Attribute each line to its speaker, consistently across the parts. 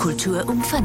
Speaker 1: Kultur um 5.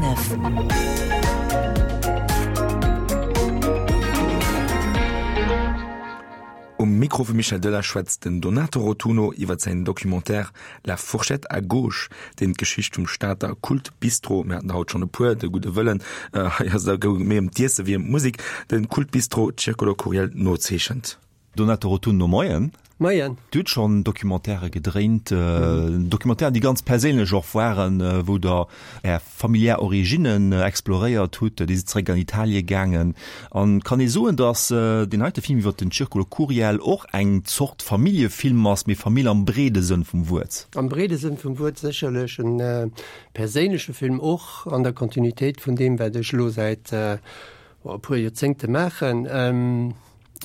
Speaker 2: Um Mikro vum Michel Delage schwätzt den Donato Rotunno iwwer säin Documentaire La fourchette à gauche, deen d'Geschicht vum Stater Kult-Bistro, mir haten der haut schonn e puer, de gudde Wëllen, hei ass et da goung et méi ëm d'Iesse wéi ëm d'Musek, de Kult-Bistro Circolo Curiel nozeechent.
Speaker 3: Donato Rotunno, Moien.
Speaker 4: Moien.
Speaker 3: Dir hutt schonn Documentairë gedréint, Documentairen, déi ganz perséinlech och waren, wou Der Är familiär Originnen exploréiert hutt. Dir sidd zeréck an Italie gaangen. An kann ee soen, datt deen heite Film iwwer den Circolo Curiel och eng Zort Familljefilm ass, mee Famill am breede Sënn vum Wuert?
Speaker 4: Am breede Sënn vum Wuert sécherlech. E perséinleche Film och an der Kontinuitéit vun deem, wat ech elo säit e puer Joerzéngte maachen.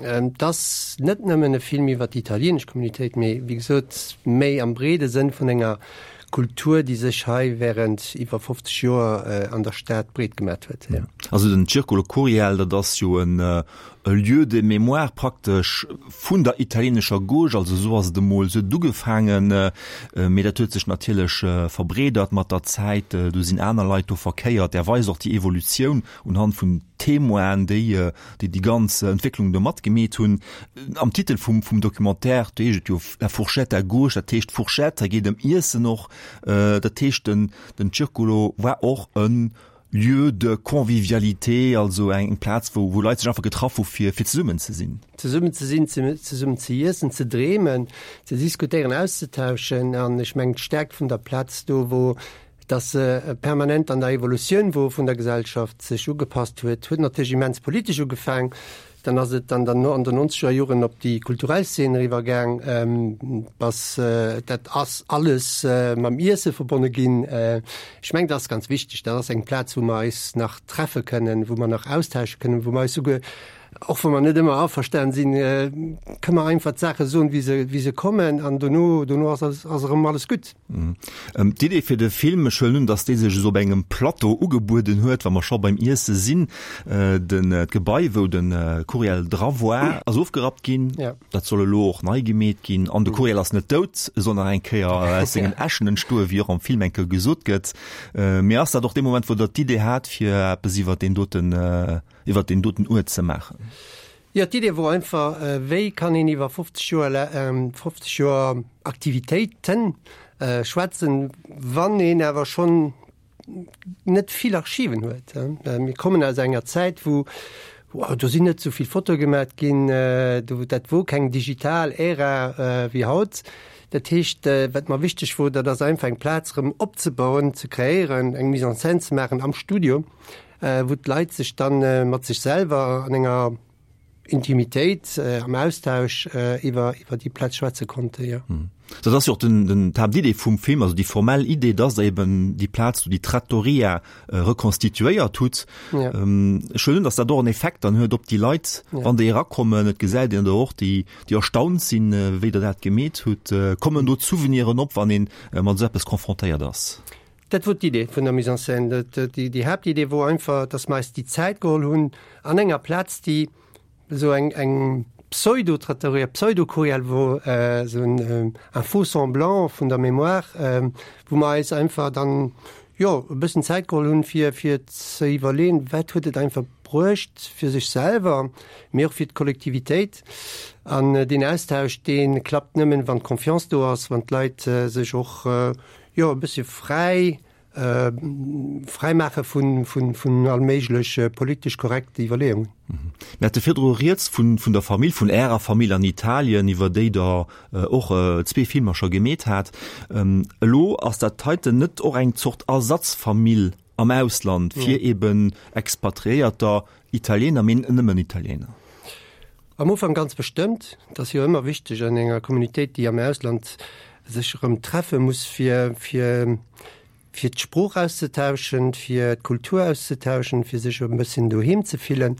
Speaker 4: Et ass net nëmmen e Film iwwer déi italienesch Communitéit, mee wéi gesot méi am breede Sënn vun enger Kultur, déi sech hei wärend iwwer 50 Joer an der Stad breet gemat huet.
Speaker 3: Also den Circolo Curiel, dat ass jo en Lieu de mémoire praktesch vun der italienescher Gauche, also esou ass et emol, esou huet et ugefaangen, mee dat huet sech natierlech verbreedert mat der Zäit, do sinn aner Leit do verkéiert. Där weist och déi Evolutioun unhand vun Témoinen, déi déi déi ganz Entwécklung do matgemeet hunn. Am Titel vum vum Documentaire, do heescht et jo La fourchette à gauche, dat heescht Fourchette, hei geet ëm Iessen och. Dat heescht den den Circolo war och e Lieu de convivialité, also eng Plaz wou wou Leit sech einfach getraff hu fir fir zesummen ze sinn.
Speaker 4: Zesummen ze sinn, zesummen ze iessen, ze dreemen, ze diskutéieren, auszetauschen. An ech mengen d'Stäerkt vun der Plaz do wor, dass se permanent an der Evolutioun wor vun der Gesellschaft, sech ugepasst huet, huet natierlech immens politesch ugefaang, dann ass et an der an den nonzeger Joren op déi kulturell Szene eriwwer gaang, bass dat ass alles mam Iesse verbonne ginn. Ech mengen, dat ass ganz wichteg, dat ass eng Plaz, wou mer eis nach treffe kënnen, wou mer nach austausche kënnen, wou mer eis souguer, och wa mer net ëmmer averstanen sinn, kënne mer einfach d'Saache soen, wéi se wéi se kommen an dono dono ass ass erëm alles gutt.
Speaker 3: D'Idee fir de Film, ech huelen un, datt dee sech esou op engem Plateau ugebueden huet, wa mer scho beim Iesse sinn. Den d'Gebai, wou de Curiel dra war, ass ofgerappt ginn. Dat soll elo och nei gemeet ginn. An de Curiel ass net dout, e soll nach eng Kéier aus sengen Äschen entstoen, wéi och am Film eng Kéier gesot gëtt. Mee ass dat och dee Moment, wou Der d'Idee hat, fir eppes iwwer deen doten, iwwer deen doten Uert ze maachen?
Speaker 4: Jo, d'Idee wor einfach, wéi kann een iwwer 50 Joer, 50 Joer Aktivitéiten schwätzen, wann een awer schonn net vill Archiven huet. Mir kommen aus enger Zäit, wou, do sinn net esou vill Fotoe gemat ginn, do, dat wor keng digital Ära wéi haut. Dat heescht, wat mer wichteg wor, dat ass einfach eng Plaz erëm opzebauen, ze kreéieren, eng Mise en scène ze maachen am Studio, wou d'Leit sech dann mat sech selwer an enger Intimitéit, am Austausch iwwer iwwer déi Plaz schwätze konnte, jo.
Speaker 3: Dat ass jo och den den d'Haaptidee vum Film, also déi formell Idee, dass Der eben déi Plaz do, déi Trattoria rekonstituéiert hutt. Ech huelen un, dass dat och en Effekt dann huet op déi Leit, wann déi erakommen. Et gesäit een der och, déi déi erstaunt sinn, wéi Der dat gemeet hutt. Kommen do d'Souveniren op, wann ee mat esou eppes confrontéiert ass?
Speaker 4: Dat wor d'Idee vun der Mise en scène. Déi Haaptidee wor einfach, dass mer eis déi Zäit geholl hunn an enger Plaz, déi esou eng eng Pseudo-Trattoria, Pseudo-Curiel wor, esou en un faux semblant vun der Mémoire, wou mer eis einfach dann, jo, e bëssen Zäit geholl hunn, fir fir ze iwwerleeën, wat huet et einfach bruecht fir sech selwer, mee och fir d'Kollektivitéit. An deen Austausch, dee klappt nëmmen, wann d'Confiance do ass, wann d'Leit sech och, Jo, e bëssche fräi, fräi maache vun, vun, vun all méiglech politesch korrekte Iwwerleeungen.
Speaker 3: Mir hate virdru rieds vun, vun der Famill, vun Ärer Famill an Italien, iwwer déi Der och zwee Filmer scho gemeet hat. Elo ass dat heiten net och eng Zort Ersatzfamill am Ausland fir eben Expatriéierter, Italiener, mee net nëmmen Italiener?
Speaker 4: Am Ufank ganz bestëmmt. Et ass jo ëmmer wichteg an enger Communautéit, déi am Ausland sech erëm treffe muss, fir, fir, fir d'Sprooch auszetauschen, fir d'Kultur auszetauschen, fir sech e bësschen doheem ze fillen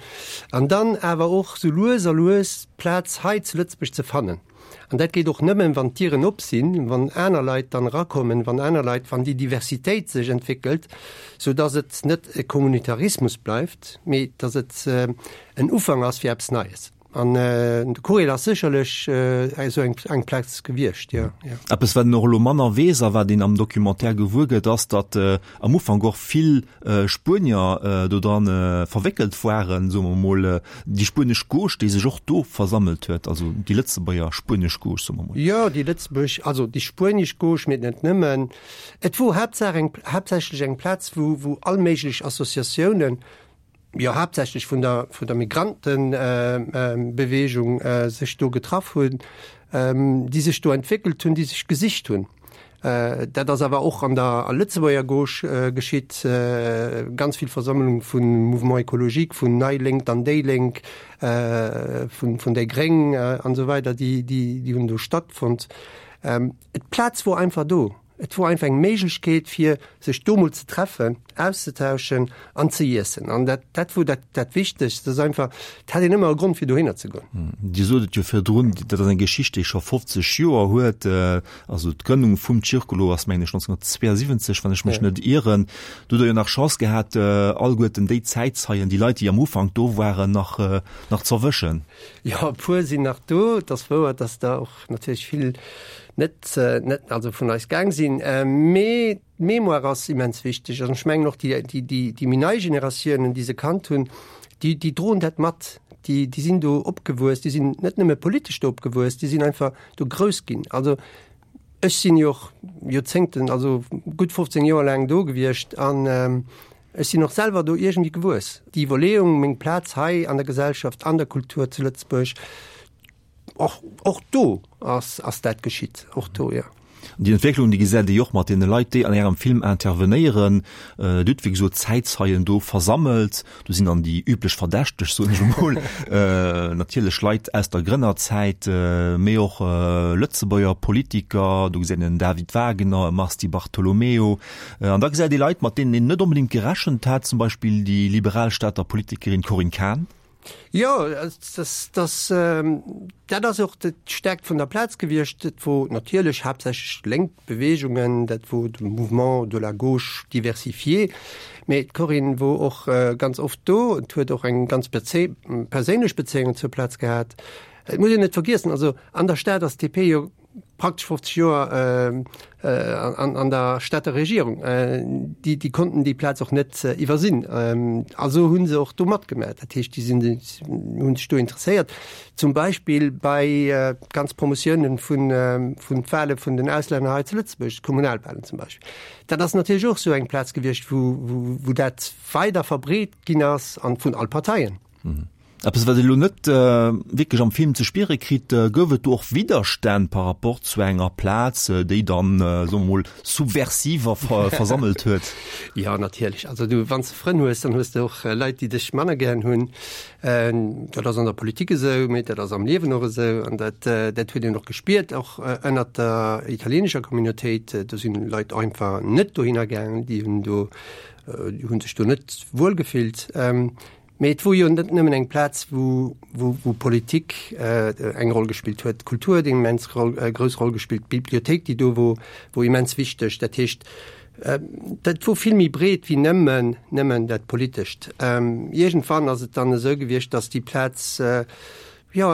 Speaker 4: an dann awer och sou lues a lues d'Plaz hei zu Lëtzebuerg ze fannen. An dat geet och nëmmen, wann d'Dieren op sinn, wann aner Leit dann erakommen, wann aner Leit, wann déi Diversitéit sech entwéckelt, sou dass et net e Kommunitarismus bleift, mee dass et en Ufank ass fir eppes Neies. An de Courriel ass sécherlech esou eng eng Plaz gewiescht, jo, jo.
Speaker 3: Eppes, wat een och elo manner weess a wat een am Documentaire gewuer gëtt, ass, datt am Ufank och vill Spuenier do dran verwéckelt waren, soe mer mol, déi spuenesch Gauche, déi sech och do versammelt huet, also déi Lëtzebuerger spuenesch Gauche, soe mer mol.
Speaker 4: Jo, déi Lëtzebuerg, also déi spuenesch Gauche, mee net nëmmen. Et wor haaptsaach eng, haaptsächlech eng Plaz, wou, wou all méiglech Associatiounen, jo haaptsächlech vun der vun der Migrantenbewegung sech do getraff hunn, déi sech do entwéckelt hunn, déi sech gesicht hunn. Dat ass awer och an der Lëtzebuerger Gauche geschitt, ganz vill Versammlung vun Mouvement écologique, vun Nei Lénk an déi Lénk, vun vun déi Gréng an esou weider, déi déi hunn do stattfonnt. D'Plaz wor einfach do. Et wor einfach eng Méiglechkeet fir sech do mol ze treffen, auszetauschen an ze iessen. An dat dat wor dat dat Wichtegst, dass einfach, et hat een ëmmer e Grond fir dohinner ze goen.
Speaker 3: Dir sot et jo virdrun, dat ass eng Geschicht déi scho 50 Joer huet. Also d'Grënnung vum Circolo ass mengen ech 1972, wann ech mech net ieren. Do hutt Der jo nach Chance gehat alleguerten déi Zäitzeien, déi Leit déi am Ufank do waren, nach nach z'erwëschen.
Speaker 4: Jo, e puer sinn nach do. Et ass wouer, dass der och natierlech vill net net also vun eis gaang sinn, mee d'Mémoire ass immens wichteg an ech mengen och déi déi déi déi méi nei Generatiounen, déi se kannt hunn, déi déi droen dat mat, déi déi sinn do opgewuess, déi sinn net nëmme politesch do opgewuess, déi sinn einfach do grouss ginn. Also ech sinn jo och Joerzéngten, also gutt 15 Joer laang do gewiescht an ech sinn och selwer do iergendwéi gewuess. Déi Iwwerleeung, meng Plaz hei an der Gesellschaft, an der Kultur zu Lëtzebuerg, Och, och do ass, ass dat geschitt, och do, jo.
Speaker 3: Déi Entwécklung, déi gesäit ee jo och mat deene Leit, déi an Ärem Film intervenéieren. Dir hutt, wéi gesot, Zäitzeien do versammelt. Do sinn dann déi üblech Verdächteg, soen ech emol, natierlech Leit aus der Grënnerzäit, mee och Lëtzebuerger Politiker. Do gesäit een en David Wagner, e Mars Di Bartolomeo. An da gesäit ee Leit, mat deenen een net onbedéngt gerechent hat, zum Beispill déi liberal Stater Politikerin Corinne Cahen.
Speaker 4: Jo, das, dat ass och d'Stärkt vun der Plaz gewiescht. Et wor natierlech haaptsächlech lénk Beweegungen, dat wor de Mouvement de la gauche diversifié. Mee d'Corinne wor och ganz oft do und huet och eng ganz perséinlech Bezéiung zur Plaz gehat. Et muss een net vergiessen, also an der Stad ass d'DP jo praktesch 50 Joer an der Stater Regierung. Déi, déi konnten déi Plaz och net iwwersinn. Also hu se och do matgemaach. Dat heescht, déi sinn, hu sech do interesséiert. Zum Beispill bei ganz Promotiounen vun, vun d'Wahle vun den Auslänner hei zu Lëtzebuerg, d'Kommunalwahlen zum Beispill. Dat ass natierlech och esou eng Plaz gewiescht, wou, wou, wou dat weider verbreet ginn ass an vun all Parteien.
Speaker 3: Eppes wat ee lo net wierklech am Film ze spiere kritt, gouf et do och Widderstänn par rapport zu enger Plaz, déi dann, soe mer mol, Subversiver versammelt huet?
Speaker 4: Jo, natierlech. Also du, wann s de Frënn hues, dann hues de och Leit, déi dech manner gären hunn. Dat ass an der Politik esou, mee dat ass am Liewen och esou. An dat, dat huet een och gespiert, och ënnert der italienescher Communautéit. Do sinn Leit einfach net dohinner gaangen, déi hunn do, déi hu sech do net wuel gefillt. Mee et wor jo net nëmmen eng Plaz, wou, wou, wou Politik eng Roll gespillt huet. D'Kultur huet eng immens Roll, grouss Roll gespillt, d'Bibliothéik, déi do wor, wor immens wichteg. Dat heescht, dat wor vill méi breet wéi nëmmen, nëmmen dat Politescht. Iergendwann ass et dann esou gewiescht, datt déi Plaz, jo,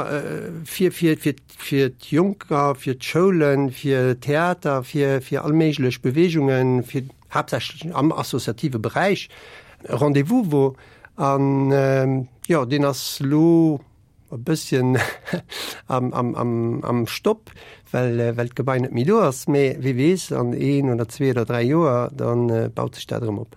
Speaker 4: fir, fir, fir, fir d'Jonker, fir d'Schoulen, fir Theater, fir, fir all méiglech Beweegungen, fir haaptsächlech am associative Beräich e Rendez-vous wor. An jo, deen ass elo e bësschen am, am, am, am Stopp, well, well d'Gebai net méi do ass. Mee wie weess, an een oder zwee oder dräi Joer, da baut sech dat erëm op.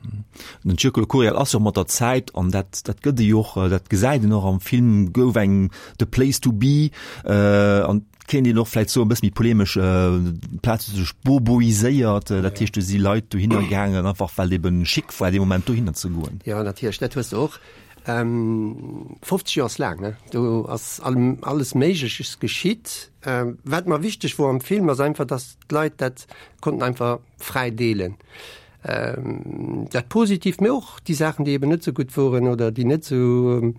Speaker 3: Den Circolo Curiel ass jo mat der Zäit, an dat, dat gëtt e jo och, dat gesäit een och am Film, gouf eng the place to be, an kéint een och vläit soen, e bësse méi polemesch, d'Plaz huet sech boboiséiert, dat heescht, do si Leit dohinner gaangen, einfach well eben chic war, dee Moment dohinner ze goen.
Speaker 4: Jo, natierlech, dat hues de och. 50 Joer ass laang, ne? Do ass alles Méigleches geschitt. Wat mer wichteg wor am Film, ass einfach, datt d'Leit dat konnten einfach fräi deelen. Dat Positiivt, mee och déi Saachen, déi eben net esou gutt woren oder déi net esou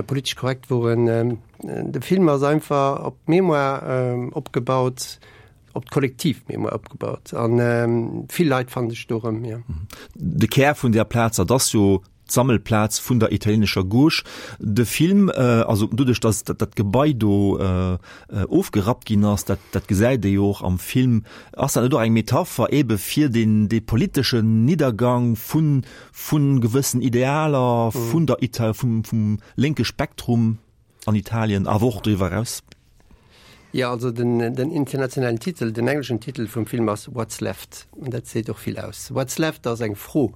Speaker 4: politesch korrekt woren. De Film ass einfach op d'Mémoire opgebaut, op d'kollektiv Mémoire opgebaut an vill Leit fanne sech do erëm, jo.
Speaker 3: De Kär vun där Plaz, dat ass jo. d'Sammelplaz vun der italienescher Gauche. De Film, also doduerch datt dat Gebai do ofgerappt ginn ass, dat dat gesäit ee jo och am Film, ass dat net och eng Metapher ebe fir deen dee politeschen Niddergang vu vu gewëssen Idealer vun der Ita vum vum lénke Spektrum an Italien, awer och doriwwer eraus?
Speaker 4: Jo, also den den internationalen Titel, den engleschen Titel vum Film ass What's Left an dat seet och vill aus. What's Left ass eng Fro,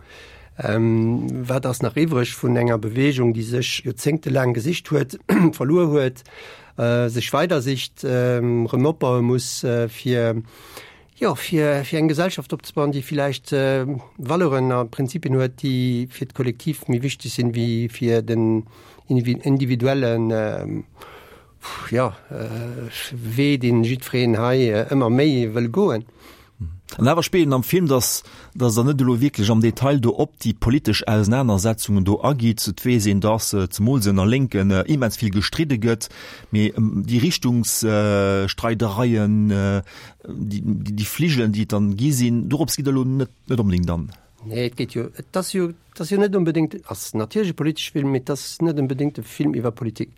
Speaker 4: Wat ass nach iwwreg vun enger Beweegung, déi sech joerzéngtelaang gesicht huet, verluer huet, sech weider sicht, erëm opbaue muss, fir, jo, fir fir eng Gesellschaft opzebauen, déi villäicht Valeuren a Prinzipien huet, déi fir d'Kollektiv méi wichteg sinn, wéi fir den individuellen, Jo, Wee deen jiddwereen hei ëmmer méi wëll goen.
Speaker 3: An awer spillt een am Film, datt datt Der net elo wierklech am Detail do op déi politesch Ausenanersetzungen do agitt. Et weess een, datt zemools ënner Lénken immens vill gestridde gëtt, mee déi Richtungsstreidereien, déi Fligelen, déi et dann gi sinn, dorops gitt Der elo net onbedéngt an.
Speaker 4: Nee, et geet jo, et ass jo, et ass jo net onbedéngt, ass natierlech e politesche Film, mee et ass net onbedéngt e Film iwwer Politik.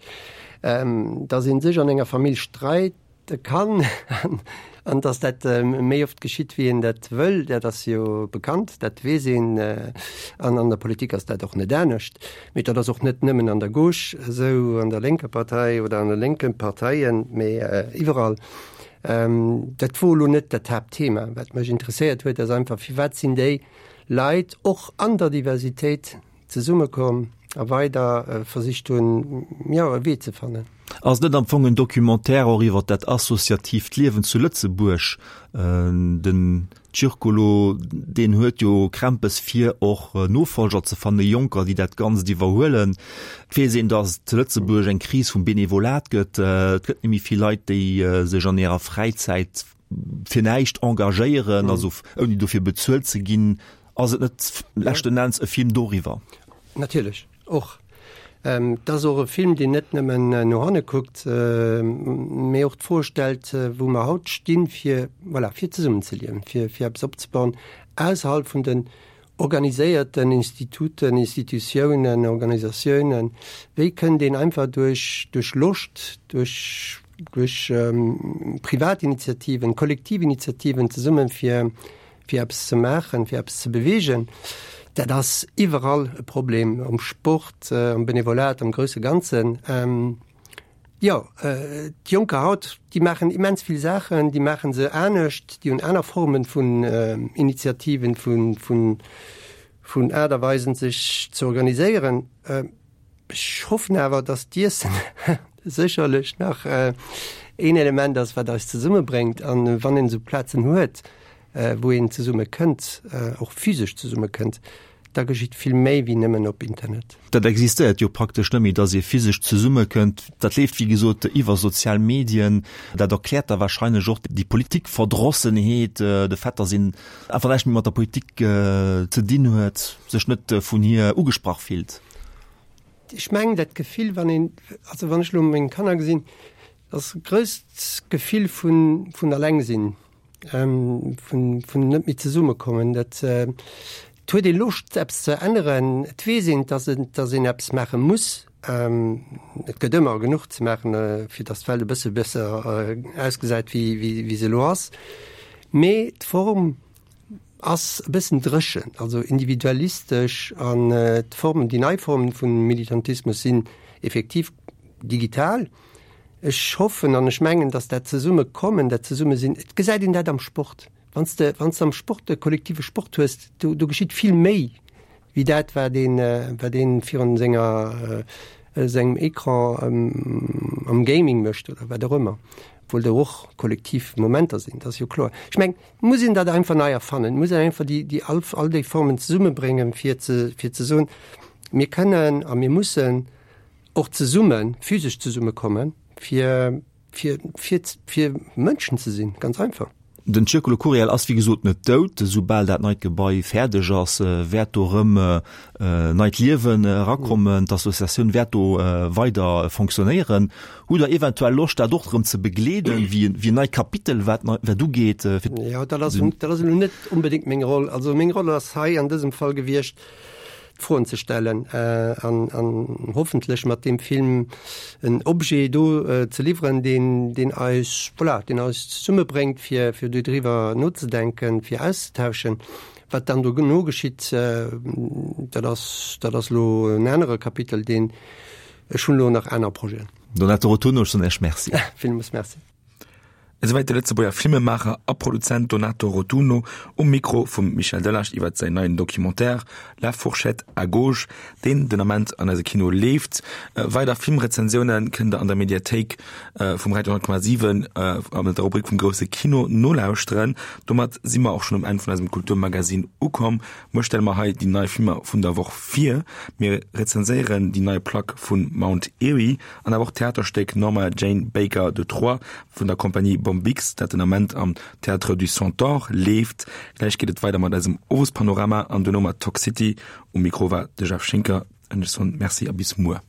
Speaker 4: Datt ee sech an enger Famill streide kann an datt dat méi oft geschitt, wéi een dat wëll, dat ass jo bekannt, dat weess een. An an der Politik ass dat och net anescht. Mee dat ass och net nëmmen an der Gauche esou, an der lénker Partei oder an de lénke Parteien, mee iwwerall. Dat wor elo net dat Haaptthema. Wat mech interesséiert huet, ass einfach, firwat sinn déi Leit och an der Diversitéit zesummekomm a weider versicht hunn, jo, e Wee ze fannen.
Speaker 3: Ass et net am Fong en Documentaire och iwwer dat associatiivt Liewen zu Lëtzebuerg? Den Circolo, deen huet jo Krämpes fir och Nofolger ze fannen, Jonker, déi dat Ganzt iwwerhuelen. Et weess een, datt et zu Lëtzebuerg eng Kris vum Benevolat gëtt. Et gëtt net méi vill Leit, déi sech an hirer Fräizäit fir näischt engagéieren, also ouni dofir bezuelt ze ginn. Ass et net leschten Enns e Film doriwwer?
Speaker 4: Natierlech. Och. Et ass och e Film, deen net nëmmen no hanne kuckt, mee och d'Fro stellt, wou mer haut stinn, fir, voilà, fir zesummenzeliewen, fir, fir eppes opzebauen ausserhalb vun den organiséierten Instituten, Institutiounen, Organisatiounen. Wéi kënnt een einfach duerch, duerch Loscht, duerch, duerch Privatinitiativen, Kollektivinitiativen zesummen, fir, fir eppes ze maachen, fir eppes ze beweegen, dat ass iwwerall e Problem, am Sport, am Benevolat, am grousse Ganzen. Jo, d'Jonker haut, déi maachen immens vill Saachen, déi maache se anescht, déi hunn aner Formen vun Initiativen, vun Aart a Weisen, sech ze organiséieren. Ech hoffen awer, dass d'Iessen sécherlech nach een Element ass, wat eis zesummebréngt. An wann een esou Plazen huet, wou een zesumme kënnt, och physesch zesumme kënnt, da geschitt vill méi wéi nëmmen op Internet.
Speaker 3: Dat existéiert jo praktesch net méi, dass ee physesch zesummekënnt. Dat leeft, wéi gesot, iwwer sozial Medien. Dat erkläert da wahrscheinlech och déi Politikverdrossenheet, de Fait, dass een einfach näischt méi mat der Politik ze dinn huet, sech net vun hir ugesprach fillt.
Speaker 4: Ech mengen dat Gefill, wann een, also wann ech elo meng Kanner gesinn, ass e grousst Gefill vun, vun alleng sinn, vun, vun net méi zesummekommen. Dat, et huet ee Loscht eppes ze änneren, et weess een, dass et, dass een eppes maache muss. Et gëtt ëmmer genuch ze maachen, fir dass d'Welt e bësse besser ausgesäit wéi, wéi, wéi se elo ass. Mee d'Form ass e bëssen dréchen, also individualistesch an d'Formen, déi nei Formen vun Militantismus sinn effektiv digital. Ech hoffen an ech mengen, datt dat Zesummekommen, dat Zesummesinn, et gesäit een dat am Sport, wann s de, wann s de am Sport e kollektive Sport hues, do, do geschitt vill méi wéi dat, wat een, wat een virun senger, sengem Ecran am Gaming mécht oder wat och ëmmer, obwuel do och kollektiv Momenter sinn, dat ass jo kloer. Ech mengen, Et muss een dat einfach nei erfannen. Et muss een einfach déi, déi all, all déi Formen zesummebréngen, fir ze, fir ze soen, mir kënnen a mir mussen och zesummen, physesch zesummekommen, fir, fir, fir, fir Mënschen ze sinn, ganz einfach.
Speaker 3: Den Circolo Curiel ass wéi gesot net dout. Esoubal dat neit Gebai fäerdeg ass, wäert do erëm neit Liewen erakommen. D'Associatioun wäert do weider fonctionnéieren. Hutt Der eventuell Loscht, dat och erëm ze begleeden, wéi en neit Kapitel, wat wat ugeet?
Speaker 4: Jo, dat ass, dat ass elo net onbedéngt meng Roll. Also meng Roll ass hei an dësem Fall gewiescht, Froen ze stellen an an hoffentlech mat deem Film en Objet do ze liwweren, deen deen eis, voilà, deen eis zesummebréngt, fir fir dodriwwer nozedenken, fir auszetauschen. Wat dann dono geschitt, dat ass dat ass elo en anere Kapitel, deen ech hunn elo nach aner Projeten.
Speaker 3: Donato Rotunno, ech soen Iech Merci.
Speaker 4: Villmools Merci.
Speaker 2: Esouwäit de Lëtzebuerger Filmemaacher a Produzent Donato Rotunno um Mikro vum Michel Delage iwwert säin neien Documentaire La fourchette à gauche, deen den Ament an eise Kino leeft. Weider Filmrezensioune kënnt der an der Mediathéik vum Radio 10,7 an der Rubrik vum grousse Kino nolauschteren. Domat si mer och schonn um Enn vun eisem Kulturmagazin ukomm. Muer stelle mer hei déi nei Filmer vun der Woch vir. Mir rezenséieren déi nei Plack vu Mount Eerie An awer och d'Theaterstéck Norma Jane Baker de Troyes vun der Compagnie Bombyx, dat den Ament am Théâtre du Centaure leeft. Gläich geet et weider mat eisem Owespanorama an duerno mat Talk City. Um Mikro war de Jeff Schinker. An ech soen Merci a bis muer.